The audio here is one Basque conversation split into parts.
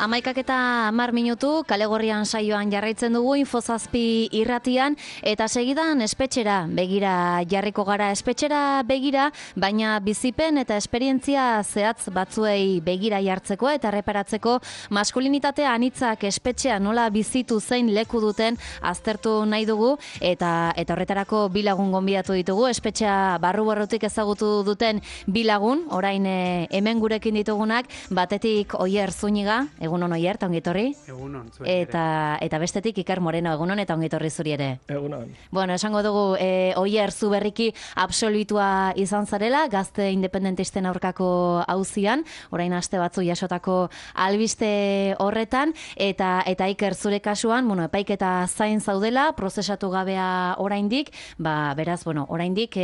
11:10 Kalegorrian saioan jarraitzen dugu Infozazpi irratian eta segidan espetxera begira jarriko gara, espetxera begira, baina bizipen eta esperientzia zehatz batzuei begira jartzeko eta erreparatzeko maskulinitate anitzak espetxea nola bizitu zein leku duten aztertu nahi dugu eta horretarako bi lagun gonbidatu ditugu, espetxea barru-barrutik ezagutu duten bi lagun, orain hemen gurekin ditugunak, batetik Oier Zúñiga, egunon Oier, eta ongitorri. Egunon, zuen eta bestetik Iker Moreno, egunon eta ongitorri zuri ere. Egunon. Bueno, esango dugu, Oier, zu berriki absolutua izan zarela, gazte independentisten aurkako auzian, orain aste batzu jasotako albiste horretan, eta Iker zure kasuan, bueno, epaiketa zain zaudela, prozesatu gabea oraindik, beraz, bueno, oraindik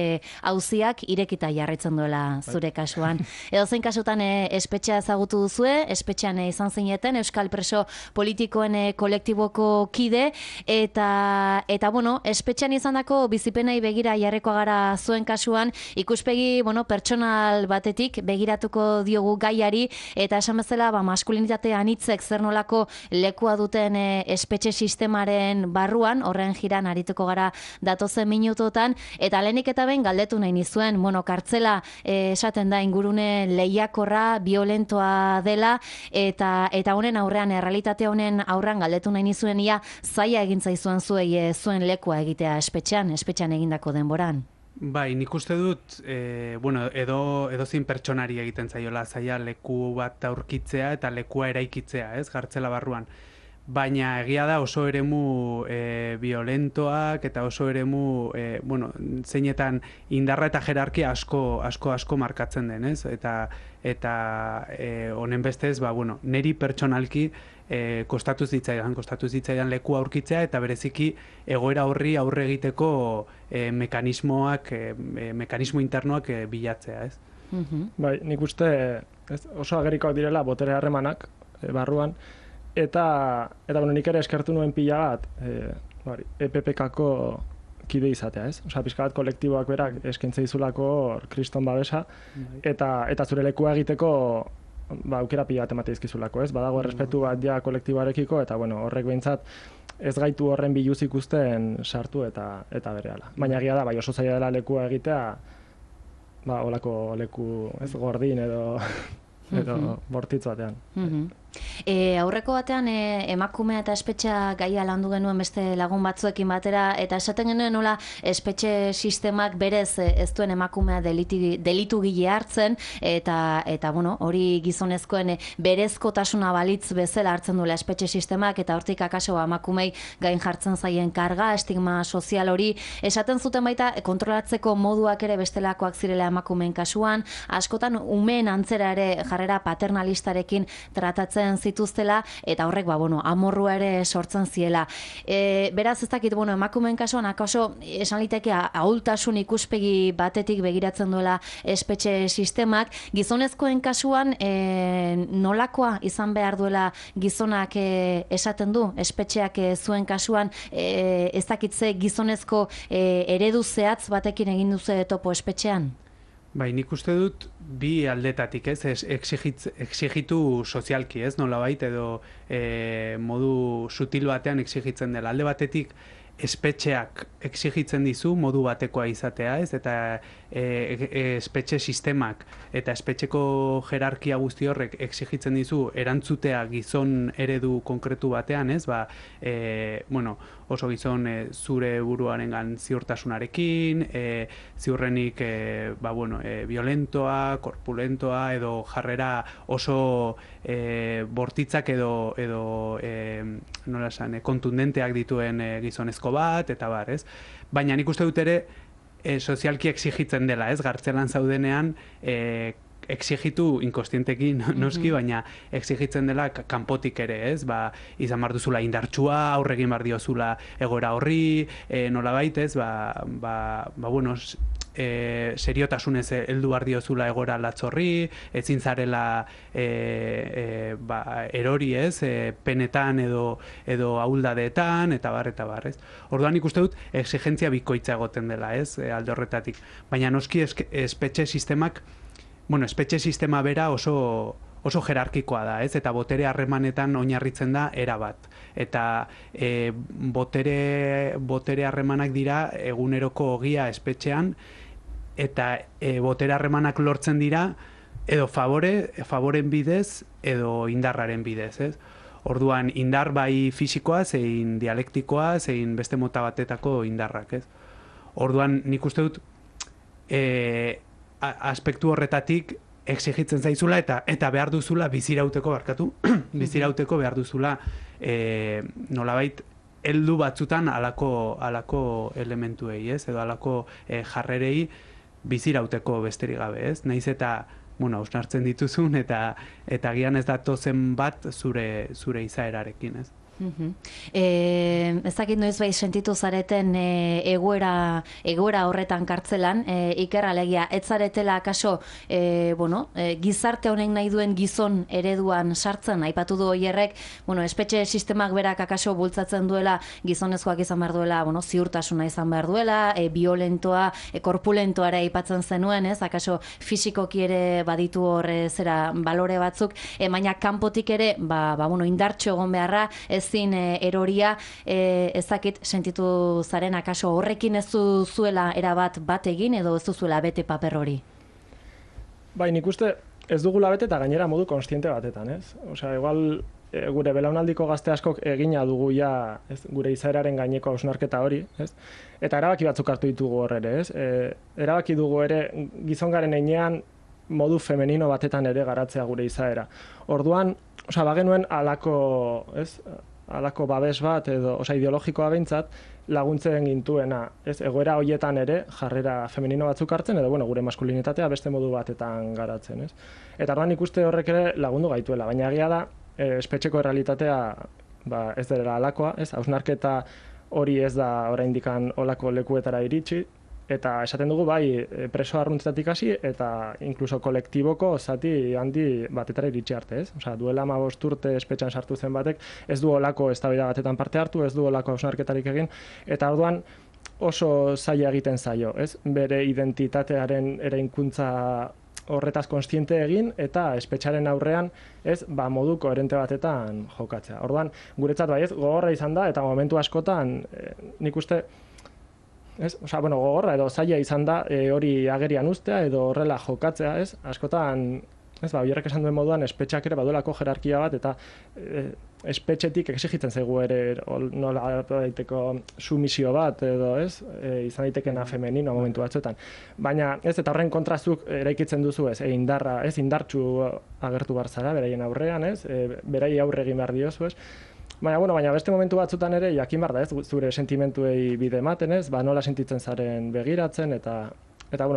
auziak irekita jarraitzen duela zure kasuan. Edozein kasutan espetxea ezagutu duzue, espetxean izan zineten, Euskal Preso Politikoen kolektiboko kide, eta bueno, espetxean izandako bizipenei begira jarriko gara zuen kasuan, ikuspegi, bueno, pertsonal batetik begiratuko diogu gaiari, eta esan bezala, maskulinitate anitzek zer nolako lekua duten espetxe sistemaren barruan, horren jiran arituko gara datozen minutotan, eta lehenik eta behin galdetu nahi nizuen, bueno, kartzela esaten da ingurune lehiakorra, violentoa dela, eta honen aurrean, errealitate honen aurrean galdetu nahi nizuen ia zaila egin zaizuen zuei zuen lekua egitea espetxean egindako denboran. Bai, nik uste dut, bueno, edozein pertsonari egiten zaiola zaila leku bat aurkitzea eta lekua eraikitzea, ez, kartzela barruan. Baina egia da oso eremu violentoak eta oso eremu, bueno, zeinetan indarra eta jerarkia asko markatzen den, ez? Eta honen bestez, bueno, neri pertsonalki kostatu zitzaidan leku aurkitzea eta bereziki egoera horri aurre egiteko mekanismo internoak bilatzea, ez? Bai, nik uste oso agerikoak direla botere harremanak barruan, eta bueno, nik ere eskertu nuen pila bat EPPKko kide izatea, ez? Osea, pixka bat kolektiboak berak eskaintza dizulako kriston babesa, eta zure lekua egiteko aukera pila bat emate dizkizulako, ez? Badago errespetu bat ja kolektiboarekiko, eta bueno, horrek behintzat ez gaitu horren biluz ikusten sartu eta berehala. Baina egia da, bai oso zaila dela lekua egitea, holako leku, ez, gordin edo bortitz batean. Aurreko batean emakumea eta espetxea gaia landu genuen beste lagun batzuekin batera, eta esaten genuen nola espetxe sistemak berez ez duen emakumea delitu gile hartzen, eta bueno, hori gizonezkoen berezkotasuna balitz bezala hartzen duela espetxe sistemak, eta hortik akaso emakumei gain jartzen zaien karga, estigma sozial hori, esaten zuten baita kontrolatzeko moduak ere bestelakoak zirela emakumeen kasuan, askotan umeen antzera ere jarrera paternalistarekin tratatzen zituztela, eta horrek, bueno, amorrua ere sortzen ziela. Beraz, ez dakit, bueno, emakumeen kasuan, akaso, esan liteke, ahultasun ikuspegi batetik begiratzen duela espetxe sistemak, gizonezkoen kasuan, nolakoa izan behar duela gizonak esaten du, espetxeak zuen kasuan, ez dakitze gizonezko eredu zehatz batekin egin duze topo espetxean? Bai, nik uste dut bi aldetatik, ez, exigitu sozialki, ez, nolabait, edo modu sutil batean exigitzen dela. Alde batetik, espetxeak exigitzen dizu modu batekoa izatea, ez, eta espetxe sistemak eta espetxeko jerarkia guzti horrek exigitzen dizu erantzutea gizon eredu konkretu batean, ez, bueno, oso gizon zure buruarengan ziurtasunarekin, ziurrenik, bueno, violentoa, korpulentoa, edo jarrera oso bortitzak edo nola esan, kontundenteak dituen gizonezko bat, eta bar, ez? Baina nik uste dut ere, sozialki exigitzen dela, ez? Gartzelan zaudenean, exigitu inkostientekin noski, baina exigitzen dela kanpotik ere, ez? Izan behar duzula indartsua, aurregin behar diozula egoera horri, nolabait, ez? Bueno, seriotasunez heldu behar diozula egoera latzorri, ezin zarela erori, ez? Penetan edo ahuldadeetan, eta bar, ez? Orduan ikuste dut exigentzia bikoitza egoten dela, ez? Alde horretatik. Baina noski espetxe sistemak, bueno, espetxe sistema bera oso oso jerarkikoa da, ez? Eta botere harremanetan oinarritzen da erabat. Eta botere harremanak dira eguneroko ogia espetxean, eta botere harremanak lortzen dira edo favoren bidez edo indarraren bidez, ez? Orduan, indar bai fisikoa, zein dialektikoa, zein beste mota batetako indarrak, ez? Orduan, nik uste dut, aspektu horretatik exigitzen zaizula eta behar duzula bizirauteko bizirauteko behar duzula nolabait heldu batzutan alako elementuei, ez? Edo alako jarrerei bizirauteko besterik gabe, ez? Naiz eta hausnartzen dituzun eta gian ez datozen bat zure izaerarekin, ez? Ez dakit noiz bai sentitu zareten egoera horretan kartzelan, Iker, alegia, ez zaretela akaso gizarte honek nahi duen gizon ereduan sartzen, aipatu du Oierrek, espetxe sistemak berak akaso bultzatzen duela gizonezkoak izan behar duela, ziurtasuna izan behar duela, violentoa, korpulentoara aipatzen zenuen, ez, akaso fisikoki ere baditu hor zera balore batzuk, baina kanpotik ere, indartxo egon beharra, ezin eroria, ezakit sentitu zaren akaso horrekin ez zuela erabat bat egin edo ez zuela bete paper hori? Bai, nik uste ez dugula bete eta gainera modu konstiente batetan, ez? Osea, igual gure belaunaldiko gazte askok egina dugu ja, ez, gure izaeraren gaineko hausnarketa hori, ez? Eta erabaki batzuk hartu ditugu hor ere, ez? Erabaki dugu ere gizongaren heinean modu femenino batetan ere garatzea gure izaera. Orduan, bagenuen alako babes bat edo, ideologikoa behintzat, laguntzen gintuena, ez, egoera hoietan ere jarrera femenino batzuk hartzen edo gure maskulinitatea beste modu batetan garatzen, ez? Eta orduan ikuste horrek ere lagundu gaituela, baina egia da espetxeko errealitatea ez dela alakoa, ez? Hausnarketa hori ez da oraindikan olako lekuetara iritsi, eta esaten dugu bai preso arruntzetatik hasi eta inkluso kolektiboko zati handi batetara iritsi arte, ez? Osea, duela 15 urte espetxean sartu zen batek ez du olako eztabaida batetan parte hartu, ez du olako hausnarketarik egin, eta orduan oso zaila egiten zaio, ez? Bere identitatearen eraikuntza horretaz kontziente egin eta espetxaren aurrean ez modu koherente batetan jokatzea. Orduan, guretzat bai ez gogorra izan da eta momentu askotan nik uste gogorra edo zaila izan da hori agerian uztea edo horrela jokatzea, ez? Askotan, Oierrek esan duen moduan, espetxeak ere baduelako jerarkia bat eta espetxetik exigitzen zaigu ere nola daiteko sumisio bat edo, ez? Izan daitekena femenino momentu batzuetan. Baina, ez, eta horren kontrazuk eraikitzen duzu, ez? Indartsu agertu behar zara, beraien aurrean, ez? Berai aurre egin behar diozu, ez? Baina beste momentu batzutan ere jakin behar da, ez, zure sentimentuei bide ematen, ez, nola sentitzen zaren begiratzen, eta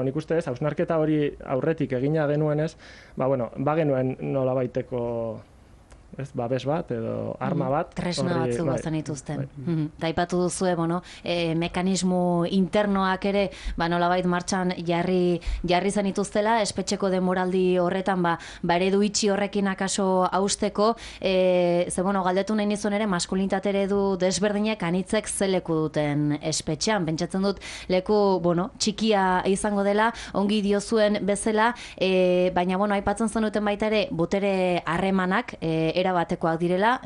nik uste ez, hausnarketa hori aurretik egina genuenez, bagenuen nola baiteko, ez, babes bat edo arma bat. Tresna batzu bazen dituzten. Taipatu duzue, mekanismo internoak ere, nolabait martxan jarri zenituztela, espetxeko demoraldi horretan, eredu itxi horrekin akaso hausteko, galdetu nahi nizun ere, maskulinitate eredu desberdinek anitzek ze leku duten espetxean. Pentsatzen dut, leku, txikia izango dela, ongi diozuen bezala, baina, aipatzen zenuten baita ere, botere harremanak, erabatekoak direla,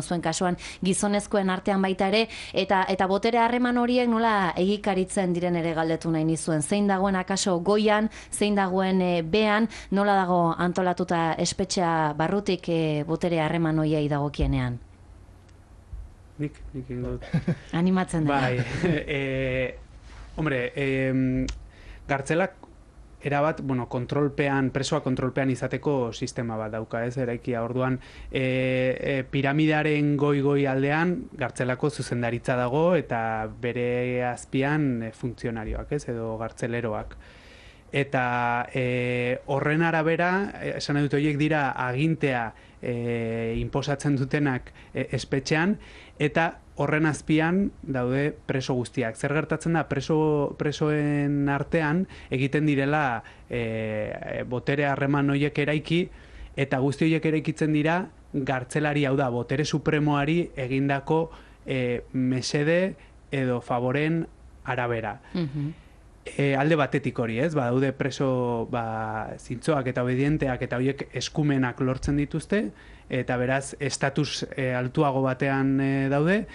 zuen kasuan gizonezkoen artean baita ere, eta botere harreman horiek nola egikaritzen diren ere galdetu nahi nizuen. Zein dagoen akaso goian, zein dagoen bean, nola dago antolatuta espetxea barrutik botere harreman horiei dagokienean? Nik ingo dut. Animatzen dela. Gartzelak erabat, presoa kontrolpean izateko sistema bat dauka, ez, eraikia. Orduan, piramidearen goi aldean, gartzelako zuzendaritza dago, eta bere azpian funtzionarioak, ez, edo gartzeleroak. Eta horren arabera, esan dut horiek dira agintea inposatzen dutenak espetxean, eta horren azpian daude preso guztiak. Zer gertatzen da, presoen artean egiten direla botere harreman horiek eraiki, eta guzti horiek eraikitzen dira gartzelari, hau da, botere supremoari egindako mesede edo favoren arabera. alde batetik hori, ez? Daude preso zintzoak eta obedienteak eta horiek eskumenak lortzen dituzte, eta beraz estatus altuago batean daude,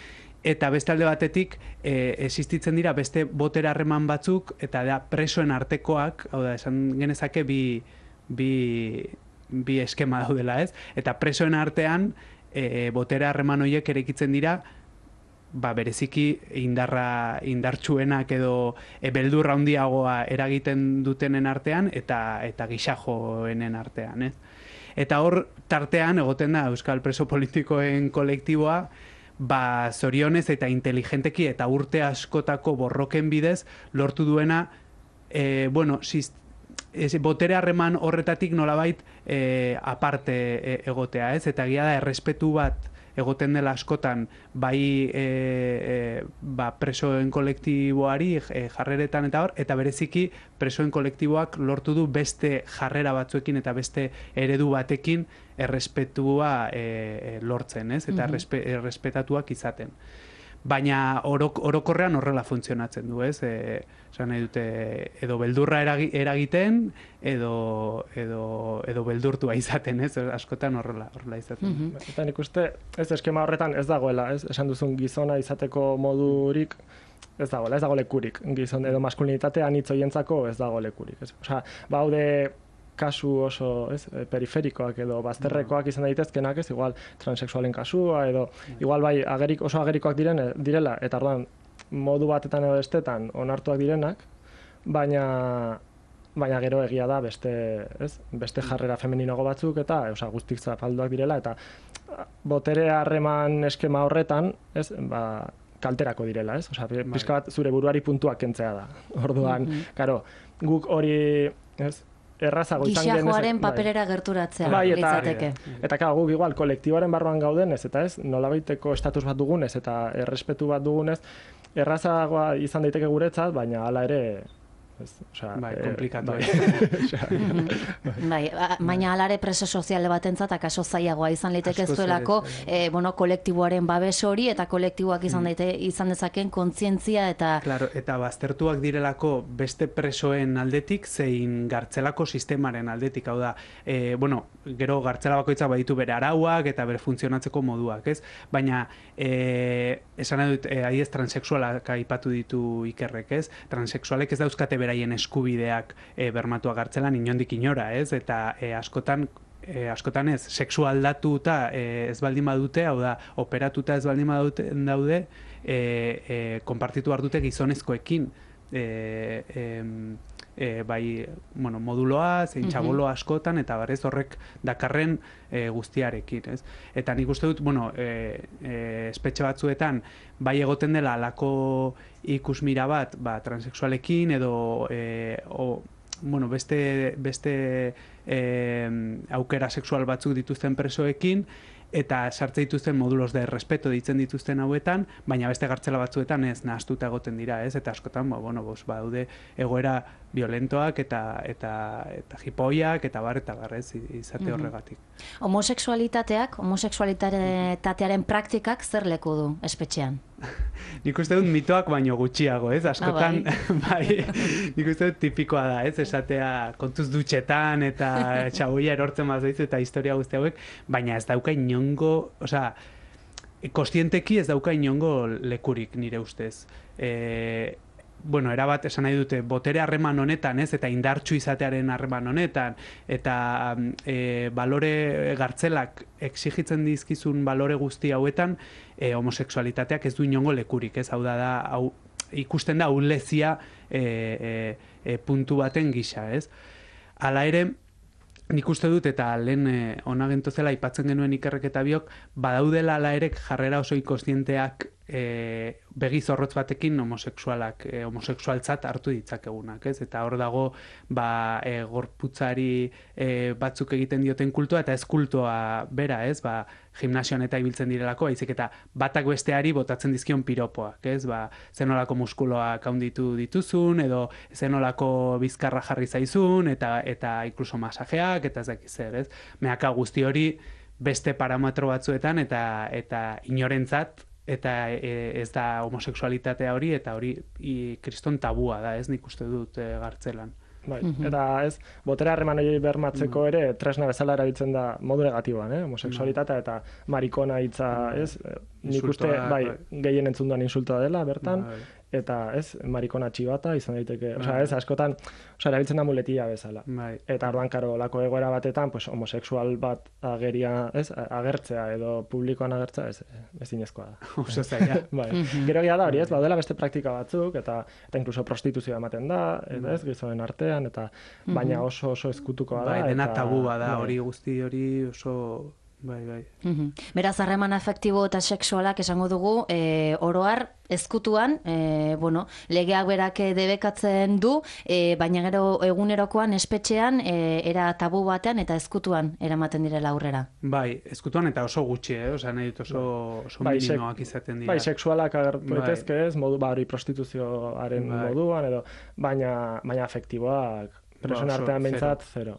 eta beste alde batetik existitzen dira beste botere harreman batzuk, eta da presoen artekoak, hau da, esan genezake bi eskema daudela, ez? Eta presoen artean botere harreman horiek eraikitzen dira, bereziki indartsuenak edo beldurra handiagoa eragiten dutenen artean eta gixajoenen artean, ez? Eta hor tartean egoten da Euskal Preso Politikoen kolektiboa, zorionez eta inteligenteki eta urte askotako borroken bidez lortu duena, botere harreman horretatik nolabait aparte egotea, ez? Eta egia da errespetu bat egoten dela askotan bai presoen kolektiboari jarreretan eta hor, eta bereziki presoen kolektiboak lortu du beste jarrera batzuekin eta beste eredu batekin errespetua lortzen, ez? Eta errespetatuak izaten. Baina orokorrean horrela funtzionatzen du, ez? Esan nahi dute, edo beldurra eragiten, edo beldurtua izaten, ez? Askotan horrela izaten. Eta nik uste, ez eskema horretan ez dagoela, ez? Esan duzun gizona izateko modurik, ez dagoela, ez dago lekurik. Gizon edo maskulinitatea anitz hoientzako ez dago lekurik, ez? Osea, baude kasu oso, ez, periferikoak edo bazterrekoak izan daitezkenak, ez, igual transexualen kasua edo igual bai oso agerikoak direla eta orduan modu batetan edo bestetan onartuak direnak, baina gero egia da beste jarrera femeninago batzuk eta guztik zapalduak direla eta botere harreman eskema horretan, ez, kalterako direla, ez? Osea, pixka bat zure buruari puntuak kentzea da. Orduan, karo, guk hori, ez, errazago izan genez... Gixajoaren paperera gerturatzea litzateke. Eta guk igual kolektiboaren barruan gaudenez, eta ez, nolabaiteko estatus bat dugunez eta errespetu bat dugunez, errazagoa izan daiteke guretzat, baina hala ere... komplikatu. Baina alare preso soziale batentzat akaso zailagoa izan liteke zuelako kolektiboaren babes hori eta kolektiboak izan dezaken kontzientzia eta... Claro, eta baztertuak direlako beste presoen aldetik zein gartzelako sistemaren aldetik, hau da, gero gartzela bakoitzak baditu bere arauak eta bere funtzionatzeko moduak, ez? Baina, esan dut, adiez transexualak aipatu ditu Ikerrek, ez? Transexualek ez dauzkate beraien eskubideak bermatuak gartzelan inondik inora, ez? Eta askotan ez, sexu aldatuta ez baldin badute, hau da, operatuta ez baldin daude, konpartitu behar dute gizonezkoekin, moduloa, zein txaboloa askotan, eta barez horrek dakarren guztiarekin, ez? Eta nik uste dut, espetxe batzuetan, bai egoten dela alako ikusmira bat, transexualekin, edo beste aukera sexual batzuk dituzten presoekin, eta sartze dituzten modulos de respeto ditzen dituzten hauetan, baina beste gartzela batzuetan ez nahastuta egoten dira, ez? Eta askotan, daude egoera violentoak eta jipoiak eta barrez izate horregatik. Homosexualitatearen praktikak zer leku du espetxean? Nik uste dut mitoak baino gutxiago, ez? Askotan, nik uste dut tipikoa da, ez? Esatea kontuz dutxetan eta txaboia erortzen mazaizu eta historia guzti hauek, baina ez dauka inongo, kostienteki ez dauka inongo lekurik nire ustez. Erabat esan nahi dute, botere harreman honetan, ez, eta indartsu izatearen harreman honetan, eta balore gartzelak exigitzen dizkizun balore guzti hauetan, homosexualitateak ez du inongo lekurik, ez, hau ikusten da ahulezia puntu baten gisa, ez. Hala ere, nik uste dut, eta lehen ona gentozela aipatzen genuen Ikerrek eta biok, badaudela hala ere jarrera oso inkostienteak begi zorrotz batekin homosexualtzat hartu ditzakegunak, ez? Eta hor dago gorputzari batzuk egiten dioten kultua eta ez kultua bera, ez? Gimnasioan eta ibiltzen direlako, baizik eta batak besteari botatzen dizkion piropoak, ez? Zenolako muskuloak handitu dituzun, edo zenolako bizkarra jarri zaizun, eta inkluso masajeak, eta ez dakiz zer, ez? Meaka guzti hori beste parametro batzuetan eta inorentzat eta ez da homosexualitatea hori, eta hori kriston tabua da, ez nik uste dut Gartzelan. Bai, eta ez, botere harreman hori bermatzeko ere tresna bezala erabiltzen da modu negatiboan, homosexualitatea eta marikona hitza, ez? Nik uste, gehien entzun duan insultoa dela, bertan, eta ez, marikona txibata izan daiteke, ez, askotan, erabiltzen da muletia bezala. Eta orduan, karo, lako egoera batetan, pues, homosexual bat agertzea edo publikoan agertzea, ez inezkoa da. Oso zaila. Gero gira da hori, ez, baudela beste praktika batzuk, eta inkluso prostituzioa ematen da, ez, gizonen artean, eta baina oso ezkutukoa da. Dena tabua da, hori guzti hori oso... Bai. Beraz, harreman afektibo eta sexualak esango dugu, oroar, ezkutuan, legeak berak debekatzen du, baina gero egunerokoan, espetxean, era tabu batean eta ezkutuan eramaten direla aurrera. Bai, ezkutuan eta oso gutxi, nahi dut oso minimoak izaten dira. Bai, sexualak agertu daitezke ez, modu hori prostituzioaren moduan, edo, baina afektiboak, presoen artean behintzat, zero.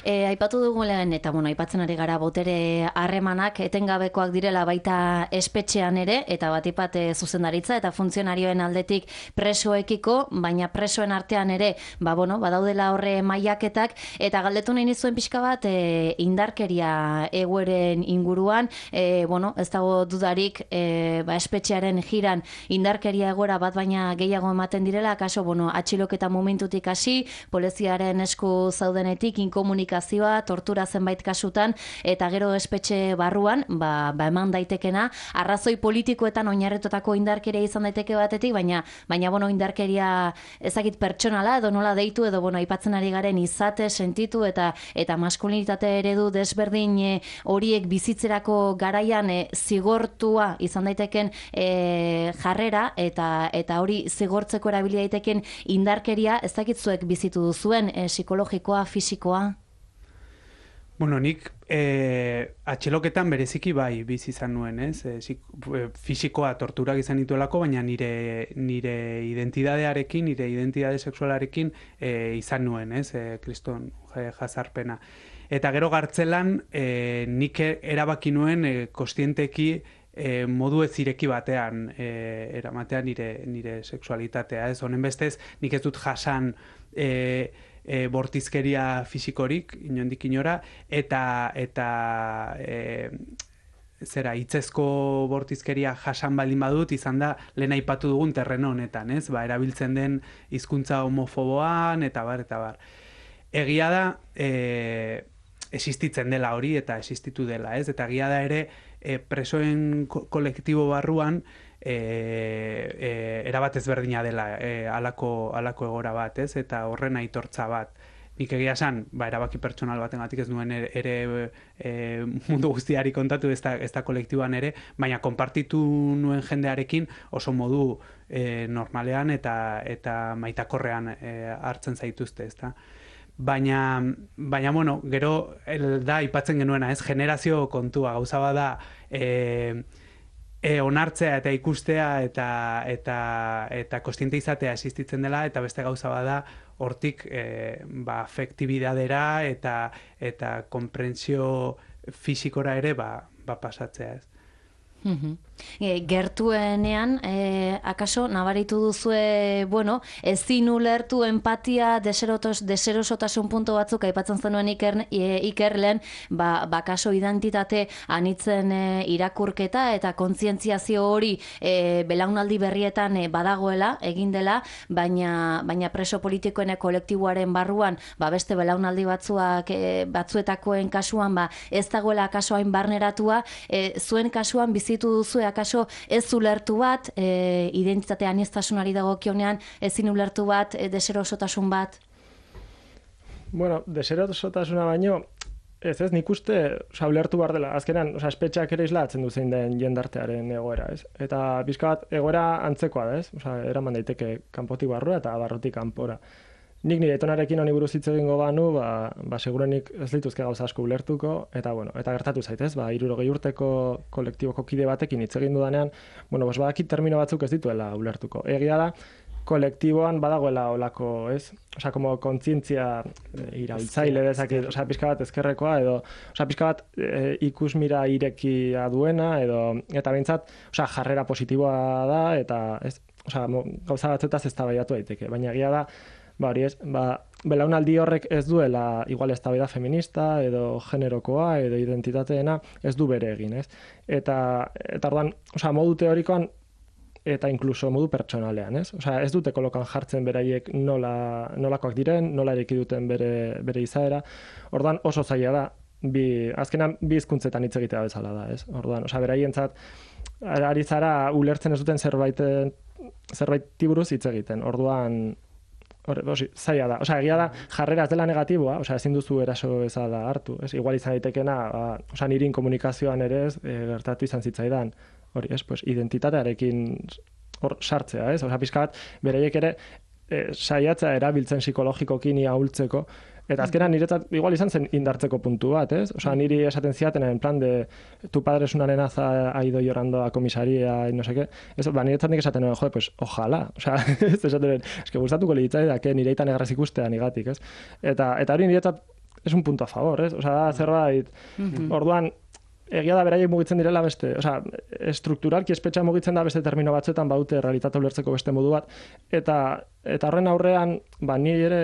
Aipatu dugu lehen, eta aipatzen ari gara botere harremanak etengabekoak direla baita espetxean ere, eta batipat zuzendaritza eta funtzionarioen aldetik presoekiko, baina presoen artean ere, badaudela horre mailaketak, eta galdetu nahi nizuen pixka bat indarkeria egoeren inguruan, ez dago dudarik espetxearen jiran indarkeria egoera bat baina gehiago ematen direla, kaso, atxiloketa momentutik hasi, poliziaren esku zaudenetik, inkomunikazioa, tortura zenbait kasutan, eta gero espetxe barruan, eman daitekena, arrazoi politikoetan oinarritutako indarkeria izan daiteke batetik, baina indarkeria ezagit pertsonala, edo nola deitu, edo aipatzen ari garen izate, sentitu, eta maskulinitate eredu desberdin horiek bizitzerako garaian zigortua izan daiteken jarrera, eta hori zigortzeko erabili daiteken indarkeria, ezagitzuek bizitu duzuen, psikologikoa, fisikoa? Nik atxiloketan bereziki bai bizi izan nuen, ez? Fisikoa torturak izan dituelako, baina nire identidadearekin, nire identidade sexualarekin izan nuen, ez? Kriston jazarpena. Eta gero Gartzelan nik erabaki nuen kostienteki modu ez ireki batean eramatean nire sexualitatea, ez? Honen bestez, nik ez dut jasan bortizkeria fisikorik, inondik inora, eta hitzezko bortizkeria jasan baldin badut, izan da, lehen aipatu dugun terreno honetan, ez? Erabiltzen den hizkuntza homofoboan, eta bar. Egia da, existitzen dela hori, eta existitu dela, ez? Eta egia da ere, presoen kolektibo barruan, erabat ezberdina dela alako egora bat, ez? Eta horren aitortza bat. Nik egia esan, erabaki pertsonal batengatik ez nuen ere mundu guztiari kontatu, ez da kolektiboan ere, baina konpartitu nuen jendearekin oso modu normalean eta maitakorrean hartzen zaituzte, ez da? Baina, gero da aipatzen genuena, ez? Generazio kontua, gauza bada onartzea eta ikustea eta kostiente izatea existitzen dela, eta beste gauza bada hortik afektibidadera eta konprentsio fisikora ere pasatzea, ez? Gertuenean, akaso, nabaritu duzue, ezin ulertu empatia, deserosotasun puntu batzuk aipatzen zenuen Ikerlen, kaso identitate anitzen irakurketa eta kontzientziazio hori belaunaldi berrietan badagoela, egin dela, baina preso politikoen kolektiboaren barruan, beste belaunaldi batzuetakoen kasuan, ez dagoela akaso hain barneratua, zuen kasuan bizitu duzu akaso ez ulertu bat, identitate aniztasunari dagokionean ezin ulertu bat, deserosotasun bat? Deserosotasuna baino, ez, nik uste, ulertu behar dela. Azkenan, espetxeak ere islatzen du zein den jendartearen egoera, ez? Eta bizka bat, egoera antzekoa da, ez? Eraman daiteke kanpotik barrura eta barrutik kanpora. Nik nire etonarekin honi buruz hitz egingo banu, segurenik ez lituzke gauza asko ulertuko, eta gertatu zaitez, 60 urteko kolektiboko kide batekin hitz egin dudanean, badakit termino batzuk ez dituela ulertuko. Egia da, kolektiboan badagoela olako, ez? Osea, como kontzientzia iraultzaile dezakit, osea, pixka bat ezkerrekoa edo, osea, pixka bat ikusmira irekia duena edo, eta behintzat, osea, jarrera positiboa da, eta, ez? Osea, gauza batzetaz eztabaidatu daiteke, baina egia da, hori ez, belaunaldi horrek ez duela igual eztabaida feminista edo generokoa edo identitateena ez du bere egin, ez? Eta orduan, osea, modu teorikoan eta incluso modu pertsonalean, ez? Osea, ez dute kolokan jartzen beraiek nolakoak diren, nola ereki duten bere izaera. Orduan oso zaila da, azkenan bi hizkuntzetan hitz egitea bezala da, ez? Orduan, osea, beraientzat ari zara ulertzen ez duten zerbaiti buruz hitz egiten. Orduan, zaila da. Osea, egia da, jarrera ez dela negatiboa, osea, ezin duzu eraso bezala hartu, ez? Igual izan daitekena, osea, nirin komunikazioan ere ez, gertatu izan zitzaidan, hori, ez, pues, identitatearekin hor sartzea, ez? Osea, pixka bat, beraiek ere saiatzea erabiltzen psikologikoki ni ahultzeko, eta azkenan niretzat igual izan zen indartzeko puntu bat, ez? Osea, niri esaten ziaten en plan de tu padre es una nenaza, ha ido llorando a comisaría y no sé qué. Eso, niretzat nik esaten, joder, pues ojalá. Osea, ez esaten, eske gustatuko litzaidak, nire aitan egraz ikustea nigatik, ez? Eta hori niretzat es un punto a favor, ez? Osea, da zerbait, orduan, egia da beraiek mugitzen direla beste, osea, estrukturalki espetxa mugitzen da beste termino batzuetan baute realitate ulertzeko beste modu bat, eta horren aurrean, ni ere,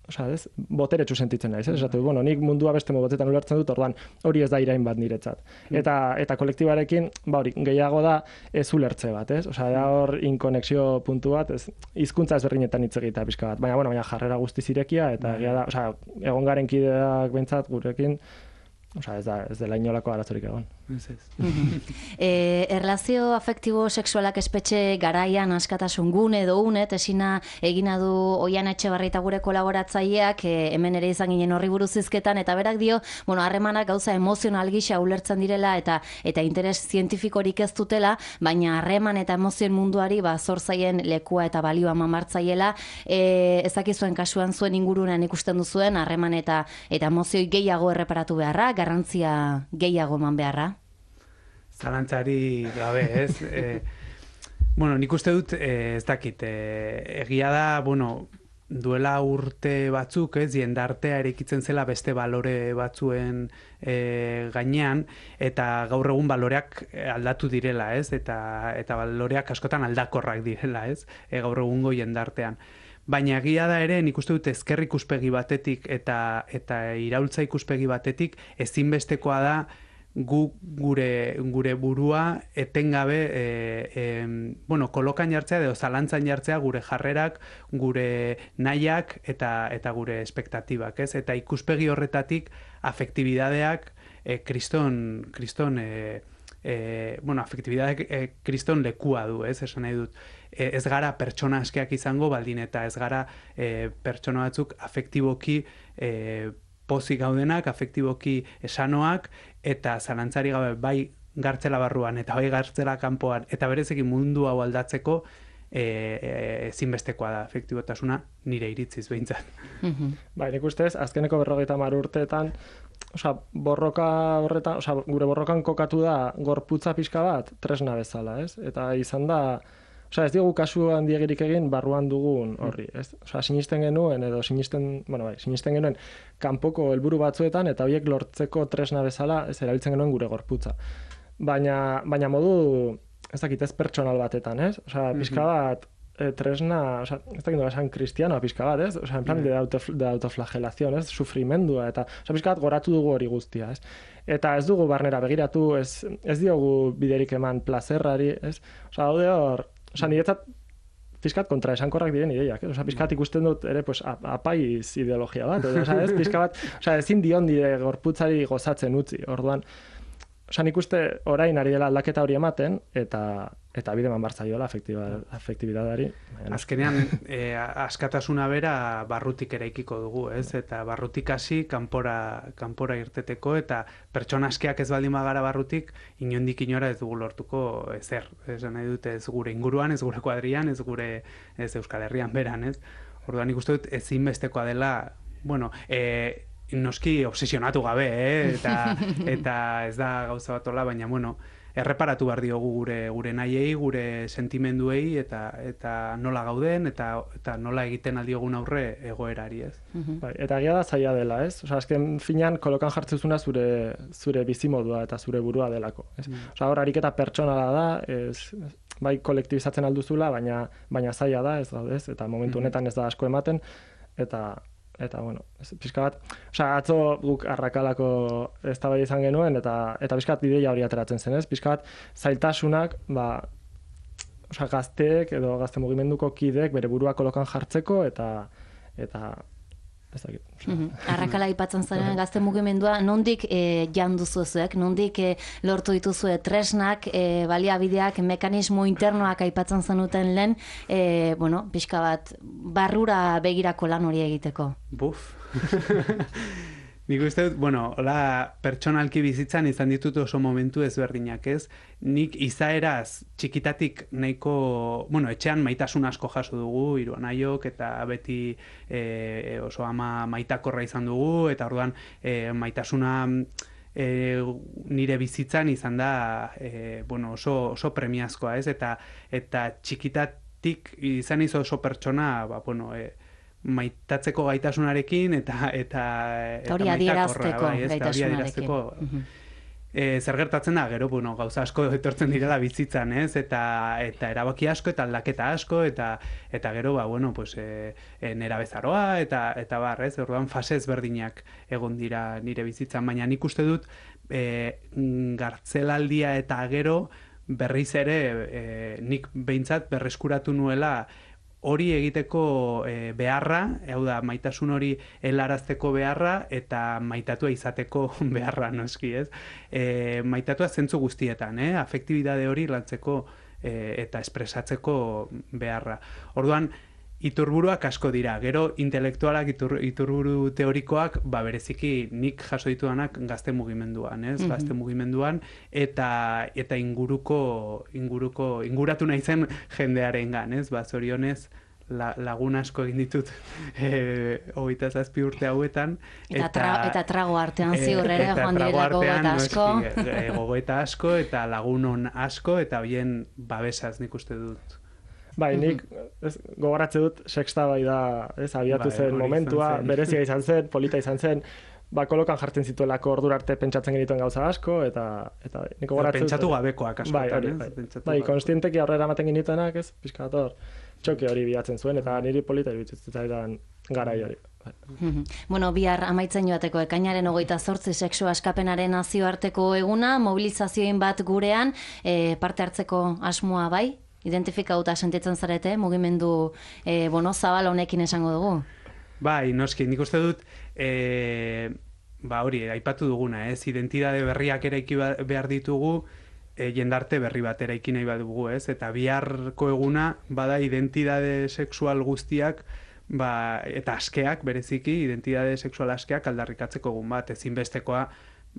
osea, ez, boteretsu sentitzen naiz, ez? Esatu, bueno, nik mundua beste modu batetan ulertzen dut, orduan hori ez da irain bat niretzat. Eta kolektibarekin, hori, gehiago da ez ulertze bat, ez? Osea, da hor inkonexio puntu bat, ez, hizkuntza ezberdinetan hitz egitea pixka bat, baina jarrera guztiz irekia, eta egia da, osea, egon garen kideak behintzat gurekin, osea, ez dela inolako arazorik egon. Erlazio afektibo sexualak espetxe garaian askatasun gune edo unet, esina egina du Oian Etxebarri eta gure kolaboratzaileak, hemen ere izan ginen horri buruz hizketan, eta berak dio, harremanak gauza emozional gisa ulertzen direla eta interes zientifikorik ez dutela, baina harreman eta emozioen munduari zor zaien lekua eta balioa mamartzaiela, ezakizuen kasuan zuen ingurunan ikusten duzuen harreman eta emozioi gehiago erreparatu beharra, garrantzia gehiago eman beharra? Zalantzari gabe, ez? Nik uste dut, ez dakit, egia da, duela urte batzuk, ez, jendartea erekitzen zela beste balore batzuen gainean, eta gaur egun baloreak aldatu direla, ez? Eta baloreak askotan aldakorrak direla, ez? Gaur egungo jendartean. Baina egia da ere, nik uste dut ezker ikuspegi batetik eta iraultza ikuspegi batetik ezinbestekoa da gure burua etengabe kolokan jartzea edo zalantzan jartzea gure jarrerak, gure nahiak eta gure espektatibak, ez? Eta ikuspegi horretatik afektibidadeak afektibidadeak kriston lekua du, ez? Esan nahi dut. Ez gara pertsona askeak izango baldin eta ez gara pertsona batzuk afektiboki pozik gaudenak, afektiboki esanoak, eta zalantzari gabe bai gartzela barruan, eta bai gartzela kanpoan, eta berezekin mundu hau aldatzeko ezinbestekoa da afektibotasuna nire iritziz behintzat. Nik ustez, azkeneko 50 urteetan, borroka horretan, gure borrokan kokatu da gorputza pixka bat tresna bezala, ez? Eta izan da, ez diogu kasu handiegirik egin barruan dugun horri, ez? Sinisten genuen, sinisten genuen kanpoko helburu batzuetan, eta horiek lortzeko tresna bezala ez erabiltzen genuen gure gorputza. Baina modu, ez dakit, ez pertsonal batetan, ez? Pixka bat tresna, ez dakit nola esan kristianoa pixka bat, ez? En plan de autoflagelación, ez? Sufrimendua, eta pixka bat goratu dugu hori guztia, ez? Eta ez dugu barnera begiratu, ez diogu biderik eman plazerrari, ez? Daude hor, niretzat pixkat kontra esankorrak diren ideiak, pixkat ikusten dut ere apaiz ideologia bat, ez? Pixka bat, ezin dion dire gorputzari gozatzen utzi, orduan, nik uste orain ari dela aldaketa hori ematen, eta bide eman bartzaioela afektibidadari. Azkenean, askatasuna bera barrutik eraikiko dugu, ez? Eta barrutik hasi kanpora irteteko, eta pertsona askeak ez baldin bagara barrutik, inondik inora ez dugu lortuko ezer. Esan nahi dute ez gure inguruan, ez gure kuadrian, ez Euskal Herrian beran, ez? Orduan nik uste dut ezinbestekoa dela, noski obsesionatu gabe, eta ez da gauza bat hola, baina, erreparatu behar diogu gure nahiei, gure sentimenduei eta nola gauden eta nola egiten aldiogun aurre egoerari, ez? Bai, eta egia da zaila dela, ez? Osea, azken finean kolokan jartzezuna zure bizimodua eta zure burua delako, ez? Osea, hor ariketa pertsonala da, bai kolektibizatzen alduzula, baina zaila da, ez gaudez, eta momentu honetan ez da asko ematen, eta bueno, pixka bat, osea, atzo guk Arrakalako eztabaida izan genuen, eta pixka bat ideia hori ateratzen zen, ez? Pixka bat, zailtasunak, osea, gazteek edo gazte mugimenduko kideek bere burua kolokan jartzeko, eta ez dakit. Arrakala aipatzen zaren gazte mugimendua, nondik jandu zuzuek, nondik lortu dituzue tresnak, baliabideak, mekanismo internoak aipatzen zenuten lehen, bueno, pixka bat, barrura begirako lan hori egiteko. Buf. Nik uste dut, bueno, hola pertsonalki bizitzan izan ditut oso momentu ezberdinak, ez? Nik izaeraz txikitatik nahiko, bueno, etxean maitasun asko jaso dugu, hiru anaiok, eta beti oso ama maitakorra izan dugu, eta orduan maitasuna nire bizitzan izan da bueno, oso premiazkoa, ez? Eta txikitatik izan izo oso pertsona, bueno, maitatzeko gaitasunarekin eta hori adierazteko gaitasunarekin. Zer gertatzen da, gero, bueno, gauza asko etortzen direla bizitzan, ez? Eta erabaki asko, eta aldaketa asko, eta gero, bueno, pues, nera bezaroa, eta bar, ez? Orduan fase ezberdinak egon dira nire bizitzan, baina nik uste dut gartzelaldia eta gero berriz ere nik behintzat berreskuratu nuela hori egiteko beharra, hau da, maitasun hori helarazteko beharra eta maitatua izateko beharra, noski, ez? Maitatua zentzu guztietan, afektibidade hori lantzeko eta espresatzeko beharra. Orduan, iturburuak asko dira, gero intelektualak, iturburu teorikoak, bereziki nik jaso ditudanak gazte mugimenduan, ez? Gazte mugimenduan, eta inguratu nahi zen jendearengan, ez? Zorionez, lagun asko egin ditut 27 urte hauetan. Eta trago artean ziur ere, joan direla gogoeta asko. Gogoeta asko, eta lagunon asko, eta bien babesaz nik uste dut. Bai, nik gogoratze dut sexta bai da, abiatu zen momentua, berezia izan zen, polita izan zen, kolokan jartzen zituelako ordura arte pentsatzen genituen gauza asko, eta nik gogoratze dut. Pentsatu gabekoak askotan, Bai, konstienteki aurrera ematen genituenak, ez, pixkator, txoke hori bilatzen zuen, eta niri polita iruditzen garai hori. Bueno, bihar amaitzen joateko ekainaren 28 sexu askapenaren nazioarteko eguna, mobilizazioin bat gurean, parte hartzeko asmoa bai? Identifikauta sentitzen zarete, mugimendu zabal honekin esango dugu? Bai, noski, nik uste dut, hori, aipatu duguna, ez? Identidade berriak eraiki behar ditugu, jendarte berri bat eraiki nahi badugu, ez? Eta biharko eguna, bada identidade sexual guztiak, eta askeak, bereziki, identidade sexual askeak aldarrikatzeko egun bat, ezinbestekoa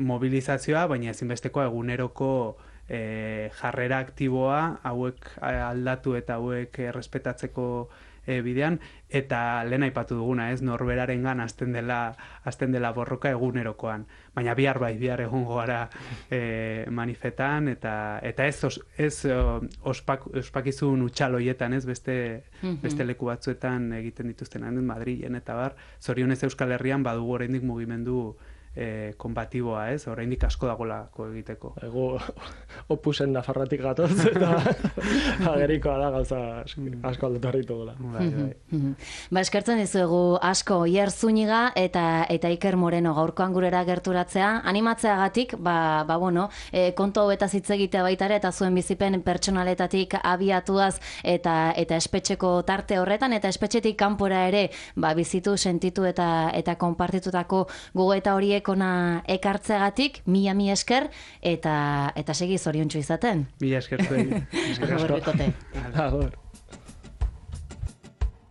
mobilizazioa, baina ezinbestekoa eguneroko jarrera aktiboa hauek aldatu eta hauek errespetatzeko bidean, eta lehen aipatu duguna, ez, norberarengan hasten dela borroka egunerokoan. Baina bihar egongo gara manifetan, eta ez ospakizun utxaloietan, ez, beste leku batzuetan egiten dituzten, Madrilen eta bar, zorionez Euskal Herrian badugu oraindik mugimendu konbatiboa, ez? Oraindik asko dagolako egiteko. Ego opusen nafarratik gatoz, eta agerikoa da gauza asko aldatu harritugula. Eskertzen dizuegu asko Oier Zúñiga eta Iker Moreno gaurkoan gurera gerturatzea, animatzeagatik, bueno, kontu hauetaz hitz egitea baita ere, eta zuen bizipen pertsonaletatik abiatuaz eta espetxeko tarte horretan, eta espetxetik kanpora ere, bizitu, sentitu eta konpartitutako gogoeta horiek ona ekartzeagatik, mila esker, eta segi zoriontsu izaten. Mila esker zuen. Agur, bikote. Agur.